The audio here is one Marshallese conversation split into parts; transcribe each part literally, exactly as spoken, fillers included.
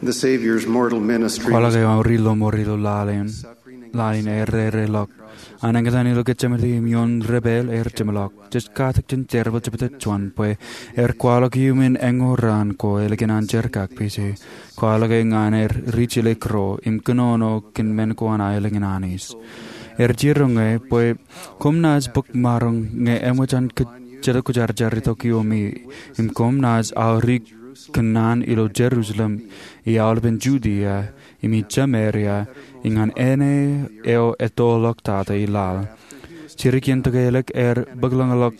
The Savior's mortal ministry. Kwaḷọk eo an ri lọmọọr ilo laḷ in, laḷ in ear rereḷọk. An eñtaan ilo Getsemane im ioon debwāāl ear jeṃḷọk. Jej katak jān jerbal jebta juon bwe ear kwaḷọk iuṃwin eñoul raan ko ālikin an jerkakpeje. Kwaḷọk e ñan ear rijjelōk ro im kōnono kōn men ko an aelōñ in Anij. Ear jiroñ e bwe koṃ naaj bōk maroñ ñe eṃōj an Jetōb Kwōjarjar itok iomi, im koṃ naaj aorōk kōnnaan ilo Jerusalem, i aolepen Judia, im i Sameria, im ñan āne eo ettoḷọk tata i laḷ. Jidik iien tokālik ear bōklōñḷọk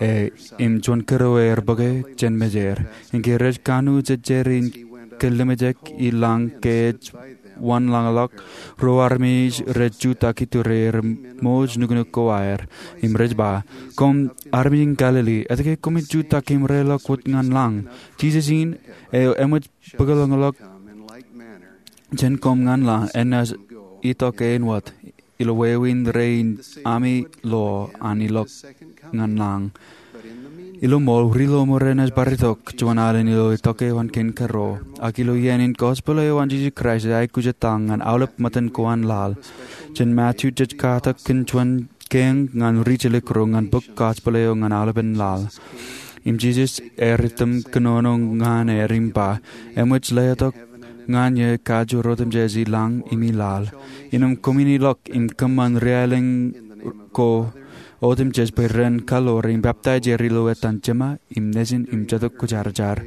e, im juon kōrā ear bōke jān mejād. Im ke rej kanooj ejjeer in kōllimjek i lañ ke ej wanlañḷọk, ruo armej rej jutak iturier im ṃooj nuknuk ko aer, im rej ba, "Koṃ armej in Galili, etke koṃij jutak im reḷọk wōt ñan lañ? Jisōs in, eo eṃōj bōklōñḷọk jān koṃ ñan laḷ, enaaj itok āinwōt ilo wāween rein ami lo an ilọk ñan lañ." Ilo ṃool, ri lọmọọr enaaj bar itok juon alen ilo itok eo an kōn kōrā. Ak ilo iien in, gospel eo an Jisōs Kraist ej aikuj etal ñan aolep ṃōttan ko an laḷ. Jān Matu jej katak kōn juon kein ñan rijjelōk ro ñan bōk gospel eo ñan aolepen laḷ. Im Jisōs ear item kōnono ñan er im ba, "Eṃōj letok ñan eō kajoor otemjej i lañ im i laḷ. Innām koṃwin ilọk im kōṃṃan riaelōñ ko otemjej bwe ren kaḷoor im peptaij er ilo etan Jema im Nejin im Jetōb Kwōjarjar."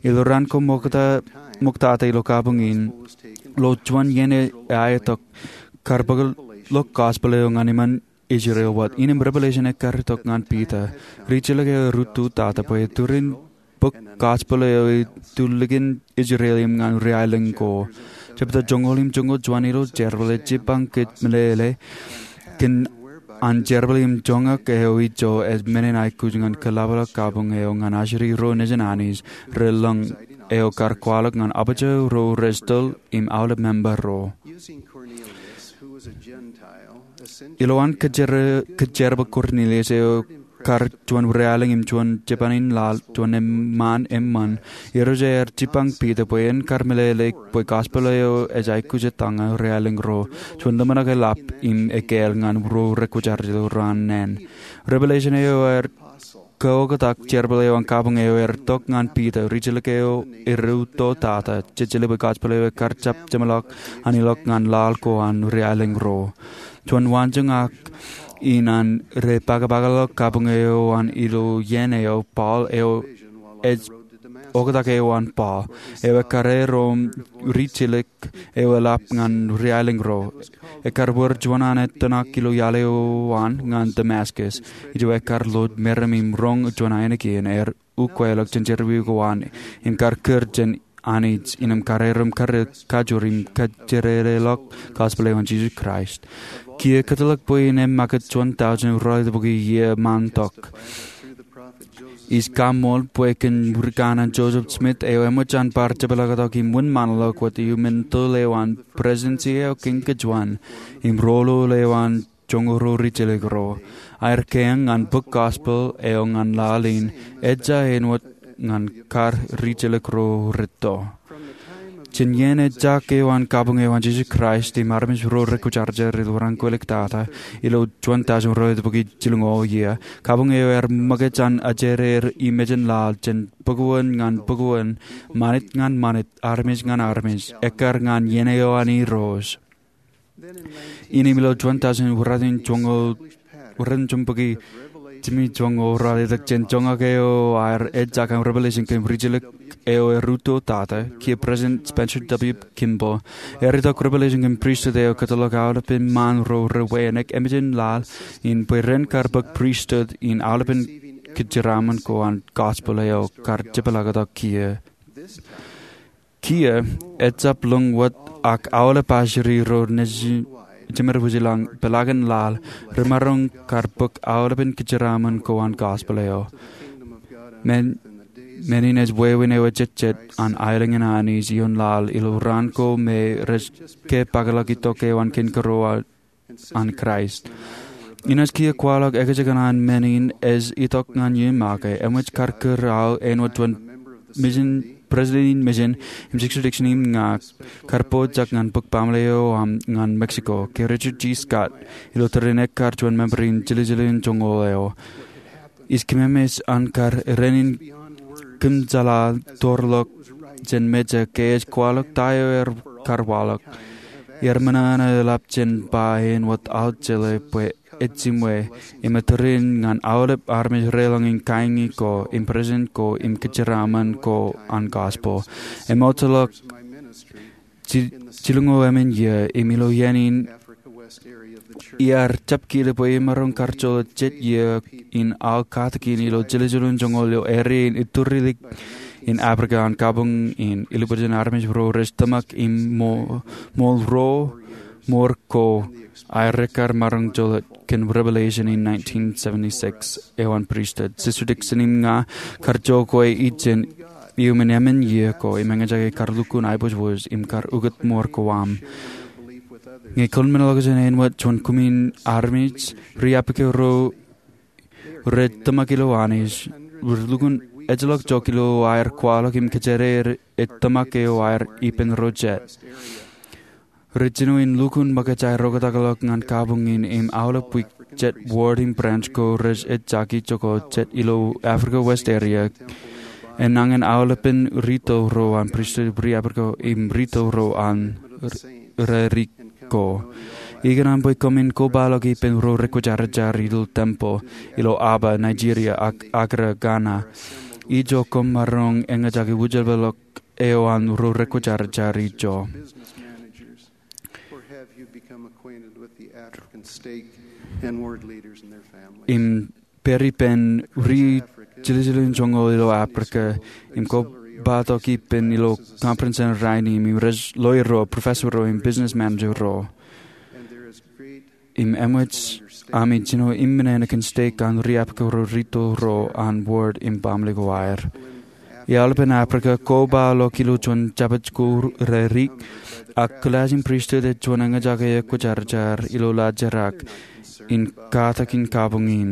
Ilo raan ko ṃoktata ilo kabuñ in, ilo juon iien eo aetok, kar bōkḷọk gospel eo ñan iṃaan Israel wōt. Innem Revelation ekkar itok ñan Piter, rijjelōk eo erūtto tata, bwe turin bōk gospel eo itulikin Israel im ñan riaelōñ ko. Jebta joñoul im joñoul juon ilo jerbal ej jipañ kōj meḷeḷe kōn an jerbal im joñak eo ijo ej men in aikuj ñan kōḷapḷọk kabuñ eo ñan ajri ro nejin Anij relōñ, eo kar kwaḷọk ñan apōjā ro rej toḷ im aolep member ro. Ilowaan kōjjerbal Kornilius, eo kar juon riaelōñ im juon jipañ in laḷ, juon eṃṃaan eṃṃan, Irooj ear jipañ Piter bwe en kar meḷeḷe bwe gospel eo ej aikuj etal ñan riaelōñ ro. Juon ḷōmṇak eḷap im ekāāl ñan ro rej kwōjarjar ilo raan naan. Revelation eo ear kaoktak jerbal eo an kabuñ eo ear itok ñan Piter, rijjelōk eo erūtto tata, jejeḷā bwe gospel eo ekar jab jeṃḷọk an ilọk ñan laḷ ko an riaelōñ ro. Juon waanjoñak in an rej pakpakḷọk kabuñ eo an ilo iien eo, Paul eo ej oktak eo an Paul, eo ekkar erom rijjelōk eo eḷap ñan riaelōñ ro. Ekkar wōr juon an etōṇak ilo iaḷ eo an ñan Damascus. Ijo ekkar ḷooj meram im roñ juon ainikien ear ukeḷọk jān jerọwiwi ko an im kar kūr jān Anij, innem kar erom kar kajoor im kajjitōñḷọk gospel eo an Jisōs Kraist. Kiiō kōtḷọk bwe innem ṃakūt juon tọujin ralitōk bōki iiō ṃaantok, ij kaṃṃool bwe kōn wikan an Joseph Smith, eo eṃōj an bar jepḷaaktok im wūnṃaanḷọk wōt iuṃwin toḷ eo an Presidency eo Kein Kōjwōn im roñoul eo an joñoul ruo rijjelōk ro. Aer kein ñan bōk gospel eo ñan laḷ in ejja āinwōt ñan kar rijjelōk ro rūtto. Jān iien ejjak eo an kabuñ eo an Jisōs Kraist im armej ro rej kwōjarjar ilo raan kwōjeḷā tata, ilo juon tọujin ralitōk bōki jilñoul iiō, kabuñ eo ear ṃōkaj an ajri er i mejān laḷ jān bōk uwōn ñan bōk uwōn, ṃanit ñan ṃanit, armej ñan armej, ekkar ñan iien eo an Irooj. Innem ilo juon tọujin ralitōk joñoul, ralitōk joñoul bōki jimjuonñoul ralitōk, jān joñak eo aer ejjak an Revelation kōn rijjelōk eo erūtto tata, kiiō President Spencer W. Kimball ear itok Revelation kōn pristut eo kōtḷọk aolepen ṃaan ro rewānōk emān laḷ in bwe ren kar bōk pristut in aolepen kōjeraaṃṃan ko an gospel eo kar jepḷaaktok kiiō. Kiiō, ejjab lōñ wōt ak aolep ajri ro nejin, jemād wūjlañ, peḷaakin laḷ, remaroñ kar bōk aolepen kōjeraaṃṃan ko an gospel eo. Men, men in ej wāween eo ejejjet an aelōñ in Anij ioon laḷ ilo raan ko me rej ke pakpakḷọk itok eo an kōn kōrā an Kraist. Inaaj kiiō kwaḷọk ekajjikōṇaan men in ej itok ñan iien ṃōke, eṃōj kar kūr aō āinwōt juon mejān President in Mission im Sister Dixon im ña kar pojak ñan bōk baaṃle eo aṃ ñan Mexico ke Richard G. Scott ilo tōre in ekkar juon member in jiljilimjuonñoul eo. Ij kememej an kar ren in kōmjeḷā toorḷọk jān mejān ke ej kwaḷọk ta eo ear kar waḷọk. Iar ṃōṇōṇō eḷap jān ba āinwōt aō jeḷā bwe ej jiṃwe im etōr in ñan aolep armej reḷọñ in kaiñi ko im present ko im kōjeraaṃṃan ko an gospel. Emootḷọk jilñoul emān iiō im ilo iien in iar jab kile bwe imaroñ kar jolōt jet iiō in aō katakin ilo jiljilimjuonñoul ilo area in iturilik in Africa an kabuñ in ilubwiljen armej ro rej tōmak im ṃool ro ṃor ko aer ekkar maroñ jolōt kōn Revelation in nineteen seventy-six eo an pristut. Sister Dixon im ña kar jokwe ijin iuṃwin emān iiō ko im eñjake kar lukkuun aiboojoj im kar ukōt ṃor ko aṃ. Ñe kōḷmenḷọkjeṇ āinwōt juon kumi armej, riapke ro rej tōmak ilo Anij, rej lukkuun ejjeḷọk jok ilo aer kwaḷọk im kōjeraer ej tōmak eo aer ippān ro jet. Rej jinoin lukkuun ṃōkaj aer oktakḷọk ñan kabuñ in im aolep wiik jet ward im branch ko rej ejjaki jokwe jet ilo Africa West area. Enañin aolepen rito ro an pristut riapke im rito ro an rarik ko. Ikōṇaan bwe koṃwin kobaḷọk ippān ro rekwōjarjar ilo tempeḷ ilo Aba, Nigeria, ak Accra, Ghana. Ijo koṃ maroñ eñjake wūjlepḷọk eo an ro rekwōjarjar ijo. Im pād ippān ri jiljilimjuonñoul ilo Africa im kobatok ippān ilo conference in rainin im rej lawyer ro, professor ro im business manager ro. Im eṃōj ami jino im men eo kōn stake an riapke ro rito ro an ward im baaṃle ko aer. Iaḷ ippān Africa kobaḷọk ilo juon jabōt ko rarik, ak kilaaj in pristut ej juon eñjake ekwōjarjar ilo laajrak in katakin kabuñ in.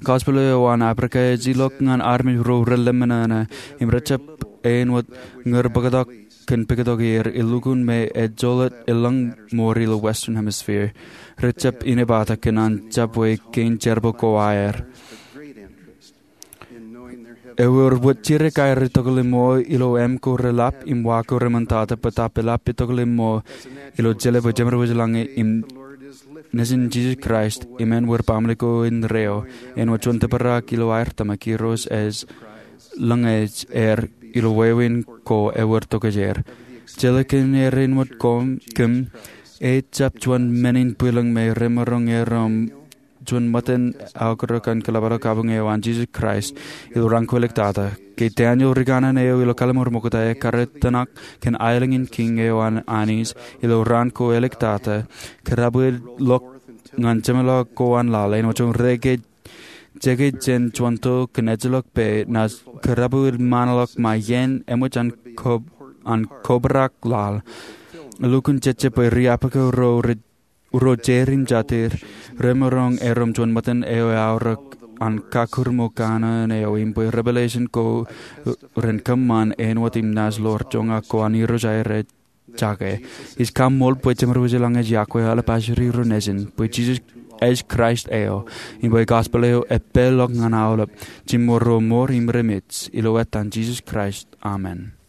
Gospel eo an Africa ej ilọk ñan armej ro relōṃōṇōṇō im rejjab āinwōt ñūr bōktok kōn pād tok er, elukkuun me ejjeḷọk elōñ ṃool ilo Western Hemisphere. Rejjab inepata kōn an jabwe kein jerbal ko aer. Ewōr wōt jidik aer etokḷọk ṃōk ilo āmko reḷap im wa ko reṃōntata bōtab eḷap etokḷọk ṃōk ilo jeḷā bwe Jemedwōj lañe im Nejin Jisōs Kraist im ānwōr baaṃle ko indeeo āinwōt juon tōprak ilo aer tōmak. Irooj ej lōñej er ilo wāween ko ewōr tokjāer. Jeḷā kōn er āinwōt koṃ, kōm, ejjab juon men in bwilōñ me remaroñ erom juon ṃōttan aokarōk an kōḷapḷọk kabuñ eo an Jisōs Kraist ilo raan ko āliktata. Ke Daniel ri kanaan eo ilo kallim̧ur Ṃokta ekkar etōṇak kōn aelōñ in kiiñ eo an Anij ilo raan ko āliktata, kōrabwilḷọk ñan jemeḷọk ko an laḷ āinwōt juon reke jeke jān juon to kōn ejjeḷọk pā, naaj kōrabwilṃanḷọk ṃae iien eṃōj an kobrak laḷ. Elukkuun jejjab bwe riapke ro rej ro jeir im jatid remaroñ erom juon ṃōttan eo eaorōk an kakūrṃōj kanaan eo im bwe revelation ko ren kōṃṃan āinwōt im naaj ḷoor joñak ko an Irooj aer ej jake. Ij kaṃṃool bwe Jemedwōj lañe ej yokwe aolep ajri ro nejin, bwe Jisōs ej Kraist eo, im bwe gospel eo epālḷọk ñan aolep, jiṃor ro ṃool im remej, ilo etan Jisōs Kraist, amen.